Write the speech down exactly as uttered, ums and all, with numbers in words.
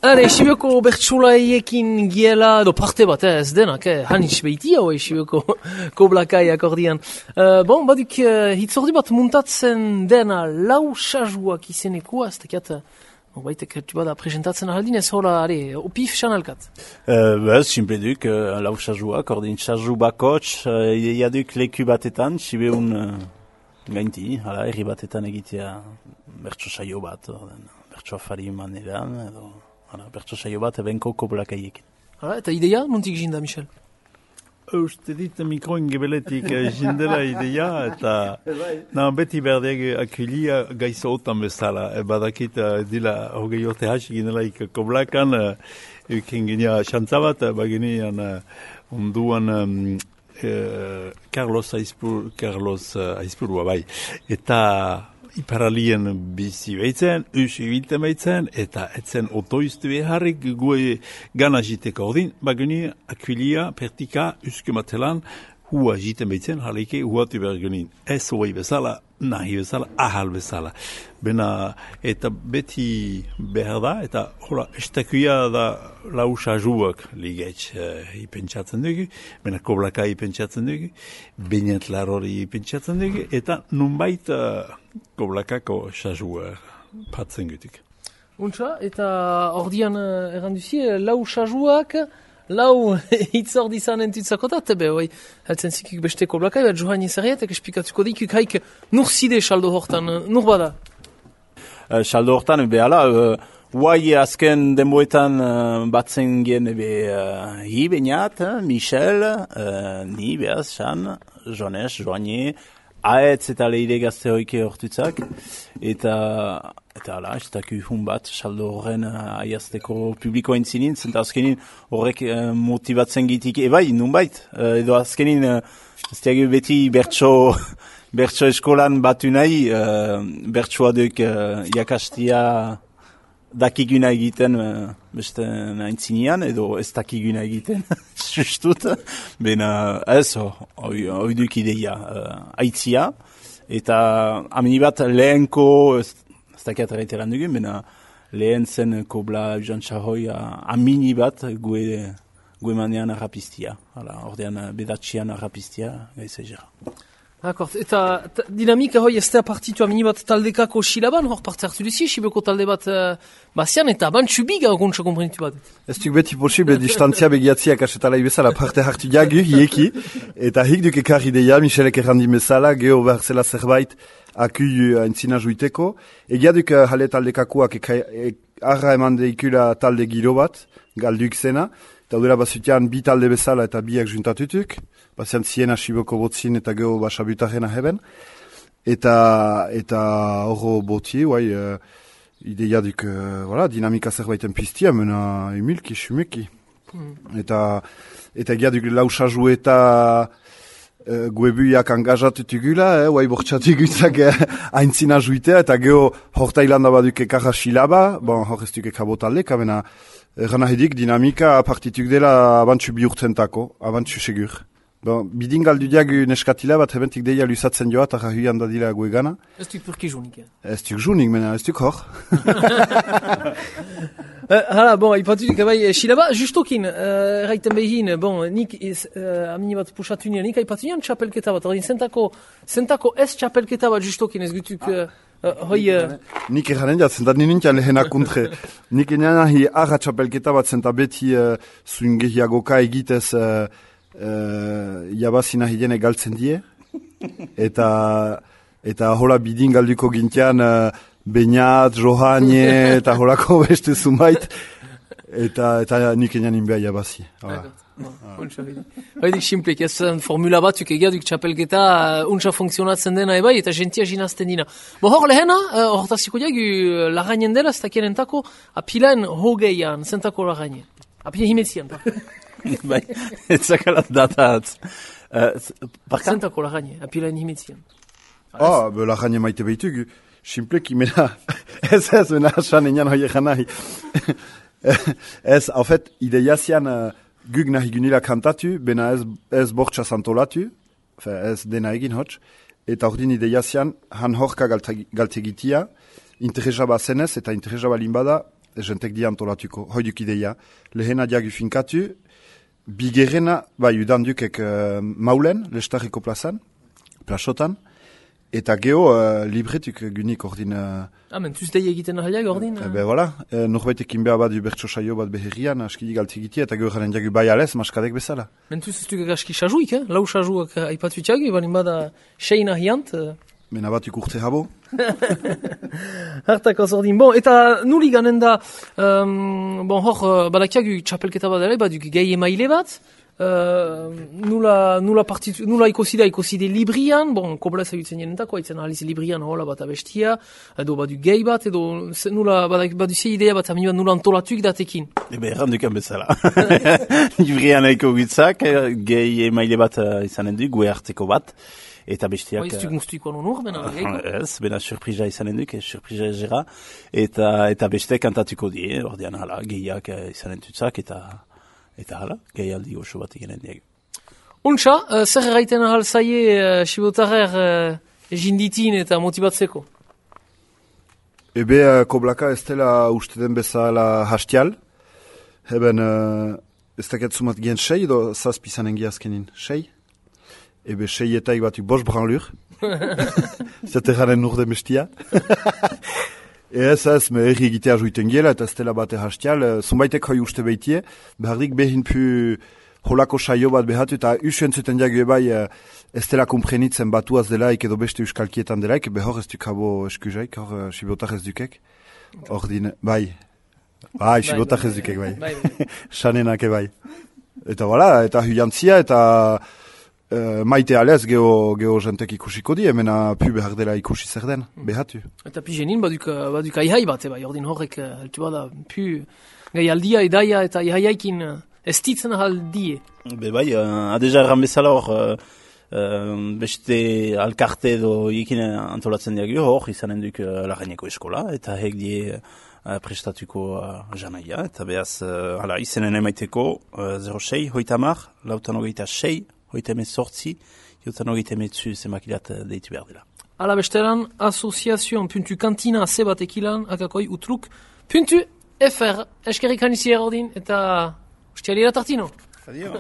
Hale, Sibioko bertsolaiekin giela, edo parte bat, eh, ez denak, eh, hanitz behitia, oi, Sibioko Koblakai akordian. Uh, bon, baduk, uh, hitzordi bat muntatzen dena lau sajuak izenekua, ez tekiat, uh, baitek, bada, presentatzen ahaldin, ez hola, are, opif sanalkat. Uh, bez, simple duk, uh, lau sajuak, ordin saju bakots, uh, iaduk leku batetan, Sibeun uh, gainti, hala, herri batetan egitea bertso saio bat, orden, bertso afari maneran, edo... Bertso saio bat ebenko Koblakaiekin. Hala, eta ideia, nontik jinda, Michel? Uste dit mikroin gebeletik jindela ideia, eta na, beti berdeak akuilia gaizo otan bezala. E, badakit, dila hogei orte hasi ginelaik Koblakan, euken genia xantzabat, baginean onduan um, uh, Carlos Aizpur, Carlos uh, Aizpurua, bai. Eta... Iparalien bizi behitzen, us ibilten behitzen, eta etzen otoizte beharrik gue gana jiteko ordin, baguni akuilia, pertika, uske matelan, hua jiten behitzen, halike huatu behar genin. Ez hoi bezala, nahi bezala, ahal bezala. Bena, eta beti behar da, eta hola, estakuia da lau sajuak ligetx uh, ipentsatzen dugu, bena Koblaka ipentsatzen dugu, Beñat Larori ipentsatzen dugu, eta nunbait uh, Koblakako sajua patzen gutik. Untsa, eta ordian uh, erranduzi, lau sajuak, lau hitzordi zan entutzakotat, ebe, oi, heltzen zikik beste Koblakai, bat johan izarriatek esplikatuko dikuk haik nur zide saldo hortan, nur bada? Uh, saldo hortan, ebe, ala, uh, Huai azken denboetan uh, batzen gen ebe uh, hi Beñat, Michel, uh, ni behaz, Xan, Jones, Joanie, Aetz eta leire gazte hoike hortutzak, eta, eta ala, ez daku hun bat, saldo horren uh, aiazteko publiko entzinin, zenta azkenin horrek uh, motibatzen gitik, ebai, nunbait, uh, edo azkenin, uh, ez diagu beti bertso, bertso eskolan batu nahi, uh, bertsoa duk uh, jakastia dakiguna egiten uh, beste naintzinean, edo ez dakiguna egiten, sustut, bena ez, hoi oh, duk ideia, uh, aitzia, eta amini bat lehenko, ez, ez dakiat erreiteran dugun, bena lehen zen Kobla Jantxahoi amini bat gue, gue manean arrapistia, ordean bedatxian arrapistia, gaiz egera. Akort, eta dinamika hoi ez da partitu amini bat taldekako silaban, hor parte hartu duzi, Sibioko talde bat uh, bazian, eta bantxu biga gontza komprenitu bat. Ez duk beti posible distantzia begiatziak asetalai bezala parte hartu jagu, hieki, eta hik duk ekar ideia, Michelek errandi bezala, geho behar zela zerbait akui entzina juiteko, egia duk uh, jale taldekakoak arra eman deikula talde giro bat, galduk zena, eta dura bazutian bi talde bezala eta biak juntatutuk, bazian ziena Sibioko botzin eta geho basabutaren aheben, eta eta horro botzi, guai, uh, ideia duk, uh, voilà, dinamika zerbaiten piztia, mena emilki, xumeki. Mm. Eta, eta egia duk lau saju eta uh, guebuiak angazatutugula, eh, guai bortxatugutzak eh, aintzina juitea, eta geho hortailanda baduk ekarra silaba, bon, hor ez duk ekabotaldeka, mena erran ahedik dinamika partituk dela abantxu bihurtzentako, abantxu segur. Bon, bidin galdu diagu neskatila bat hebentik deia lusatzen joa, eta rahuian dadila guegana. Ez duk purki junik, eh? Ez duk junik, mena, ez duk hor. Uh, hala, bon, ipatudik, bai, silaba, justokin, uh, erraiten behin, bon, nik ez, uh, amini bat pusatu nien, nik aipatu nien txapelketa bat, ordin, zentako, zentako ez txapelketa bat justokin, ez gutuk, uh, uh, hoi... Uh... Nik erranen jat, zentat nintian lehenak kontre. Nik enean ahi arra txapelketa bat, zenta beti uh, zuingehiagoka egitez uh, uh, jabazina hidene galtzen die, eta, eta hola bidin galduko gintian... Uh, Beñat, Johanie, eta holako beste zumait, eta, eta nik enean inbea jabazi. Haidik simplek, ez formula batzuk egiaduk txapelketa untsa funtzionatzen dena ebai, eta gentia jinazten dina. Bo hor lehena, hortaziko diagu lagainen dela, ez dakien entako, apilaen hogeian, zentako lagainen. Apile himetzian, pa. Bai, ez zakalat datatz. Zentako lagainen, apilaen himetzian. Ah, be lagainen maite behitugu. Simpleki, mena, ez ez, mena, asan enean hoi egan nahi. Ez, en fait, ideia zian uh, gug nahi gunila kantatu, bena ez, ez bortxa santolatu, ez dena egin hotx, eta ordin ideia zian, han horka galtegitia, interesa ba zenez, eta interesa ba limbada, jentek di antolatuko, hoiduk ideia, lehena diagu finkatu, bigerrena, bai, udan dukek uh, maulen, lestarriko plazan, plasotan, eta geho uh, libretuk gunik ordin... Uh, ah, men tuztei egiten ahaliak ordin? Uh, be, voilà, uh, norbaitek inbea bat bertso saio bat beherrian, askidi galtigitia, eta geho jaren diagu bai alez, maskadek bezala. Men tuz ez duk aski sajuik, eh? Lau sajuak aipatutiak, balin bada sein ahiant... Uh... Mena batuk urte habo. Hartak ordin. Bon, eta nuli ganen da, um, bon, hor, badakiagu txapelketa bat ere, baduk gehi emaile bat, uh, nula, nula, partitu, nula ikosida, ikoside librian, bon, koblaz agutzen jenentako, haitzen aliz librian hola bat abestia, edo baduk gehi bat, edo nula, baduk ze idea bat amioan nula antolatuk datekin. Ebe, errandukan bezala. Librian aiko gitzak, gehi emaile bat uh, izanen du, gue harteko bat, eta bestiak... Ba, ez duk muztuiko anonur, bena, geiko? Ez, bena surprisa izanen duk, surprisa ezera, eta, eta bestiak kantatuko die, ordean hala, gehiak izanen tutzak, eta, eta hala, gehi aldi oso bat egenen diegu. Untxa, uh, zer erraiten ahal zaie uh, sibotarrer uh, jinditin eta motibatzeko? Ebe, uh, koblaka ez dela uste den bezala hastial, eben, uh, ez daket sumat gen sei, edo zazpizanen giazkenin, sei? Ebe seietaik batuk bos branlur. Zaterraren urde mestia. Ez ez, me erri egitea juiten giela, eta ez dela bate hastial. Zumbaitek hoi uste behitie, behardik behin pu holako saio bat behatu, eta usuen zuten diagu ebai ez dela komprenitzen batuaz delaik edo beste euskalkietan delaik, behor ez duk habo eskuzaik, hor sibotak ez dukek. Hor din, bai. Bai, sibotak ez dukek, bai. Sanenak ebai. Eta wala, eta huiantzia, eta... Uh, maite alez geho, geho jentek ikusiko di, emena pu behar dela ikusi zer den, behatu. Eta pi genin baduk, baduk aihai bat, eba, ordin horrek, altu bada, pu gai aldia edaia eta aihaiaikin ez ditzen aldie. Be bai, uh, adeja erran bezala hor, uh, uh, beste alkarte edo ikin antolatzen diagio hor, izanen duk uh, Larraineko eskola, eta hek die uh, prestatuko uh, janaia, eta behaz, uh, hala, izenen emaiteko, uh, zero sei, hoitamar, lautan hogeita sei, hoiteme sortzi, jotan hogeita metzu zemakilat deitu behar dela. Ala bestelan, asoziazion puntu kantina zebatekilan, akakoi utruk, puntu fr, eskerrik hanizi erordin, eta ustialira tartino. Adio.